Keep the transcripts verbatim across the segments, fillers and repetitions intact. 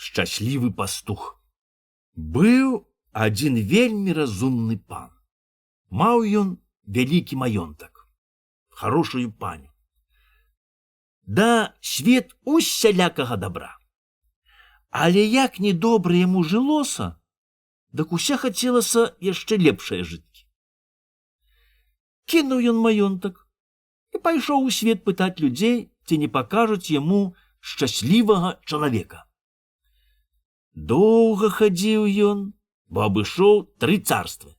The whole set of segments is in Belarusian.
Шчаслівы пастух. Быў адзін вельмі разумны пан. Маў ён вялікі маёнтак, хорошую паню. Да свет усялякага добра. Але як недобра яму жылося, дык уся хацелася яшчэ лепшае жыцці. Кінуў ён маёнтак і пайшоў у свет пытаць людзей, ці не пакажуць яму шчаслівага чалавека. Доўга хадзіў ён, бо абышоў тры царствы,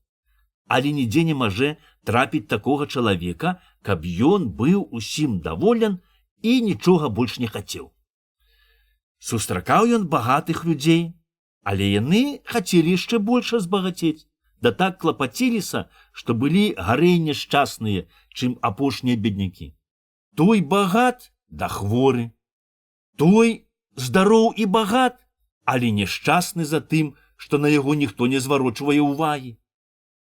але нідзе не можа трапіць такога чалавека, каб ён быў усім даволен і нічога больш не хацеў. Сустракаў ён багатых людзей, але яны хацелі яшчэ больш збагацець, да так клапаціліся, што былі гарэй няшчасныя, чым апошнія беднякі. Той багат, да хворы, той здароў і багат, але няшчасны за тым, што на яго ніхто не зварочвае ўвагі.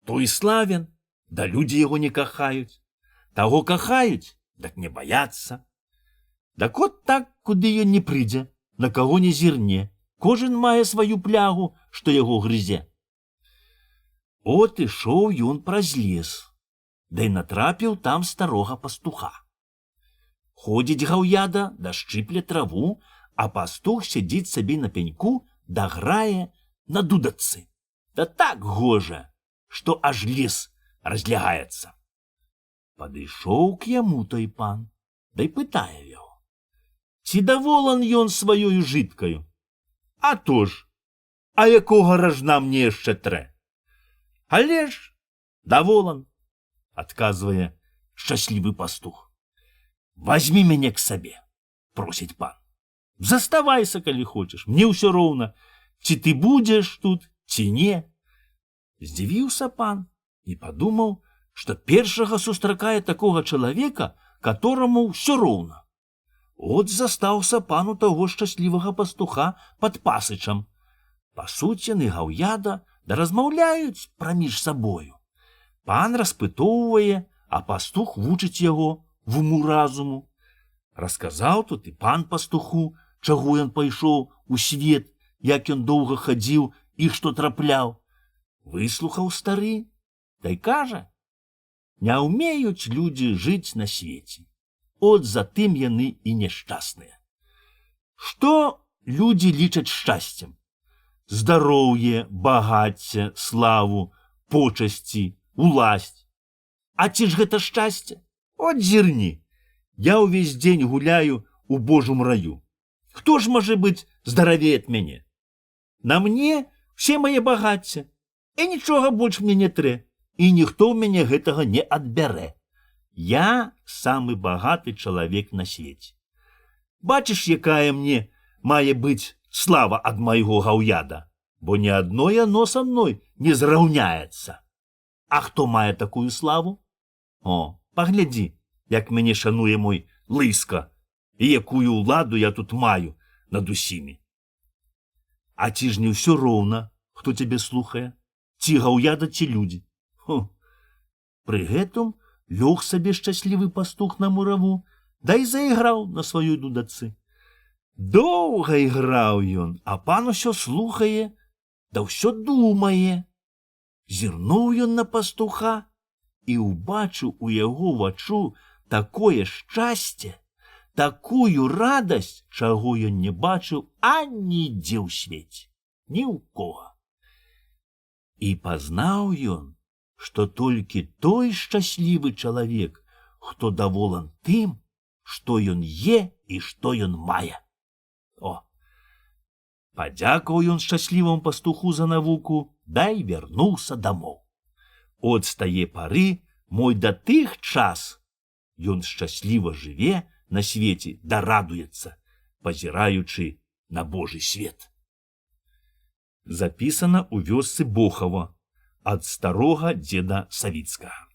Той славен, да людзі яго не кахаюць. Таго кахаюць, дак не баяцца. Дак от так, куды ён не прыйдзе, на каго не зірне, кожен мае сваю плягу, што яго грызе. От ішоў ён праз лес, да і натрапіў там старога пастуха. Ходзіць гаўяда, да шчыпле траву, а пастух сядзіць сабе на пеньку, да грае на дудачцы. Да так гожа, што аж лес разлягаецца. Падышоў к яму той пан, да й пытае яго: ці даволен ён сваёю жыткаю? А то ж, а якога ражна мне яшчэ трэ? Але ж даволен, адказвае шчаслівы пастух. Вазьмі мяне к сабе, просіць пан. Заставайся, калі хочаш, мне ўсё роўна, ці ты будзеш тут, ці не. Здзівіўся пан і падумаў, што першага сустракае такога чалавека, катораму ўсё роўна. От застаўся пану таго шчаслівага пастуха пад пасычам. Пасуць яны гаўяда, да размаўляюць праміж сабою. Пан распытоўвае, а пастух вучыць яго в уму-разуму. Расказаў тут і пан пастуху, чаго ён пайшоў у свет, як ён доўга хадзіў і што трапляў. Выслухаў стары, да й кажа: не ўмеюць людзі жыць на свеце. От затым яны і няшчасныя. Што людзі лічаць шчасцем? Здароўе, багацце, славу, почасці, уласць. А ці ж гэта шчасце? От зірні, я ўвесь дзень гуляю у Божым раю. Хто ж можа быць здаравей ад мяне? На мне все мае багацце, і нічога больш мне не трэ, і ніхто ў мяне гэтага не адбярэ. Я самы багаты чалавек на свеце. Бачыш, якая мне мае быць слава ад майго гаўяда, бо ні адно яно са мной не зраўняецца. А хто мае такую славу? О, паглядзі, як мяне шануе мой лыска, і якую ўладу я тут маю над усімі. А ці ж не ўсё роўна, хто цябе слухае? Ці гаўяда, ці людзі? Хо. Пры гэтым лёг сабе шчаслівы пастух на мураву, да і зайграў на сваёй дудачцы. Доўга іграў ён, а пан усё слухае, да ўсё думае. Зірнуў ён на пастуха і ўбачыў у яго вачу такое шчасце, такую радасць, чаго ён не бачыў анідзе ў свеце, ні ў кога. І пазнаў ён, што толькі той шчаслівы чалавек, хто даволен тым, што ён е і што ён мае. О, падзякаў ён шчасліваму пастуху за навуку, да і вярнуўся дамоў. От з тае пары мой да тых час ён шчасліва жыве на свеце, да радуецца, пазіраючы на Божий свет. Запісана ў вёсцы Бохава ад старога дзеда Савіцкага.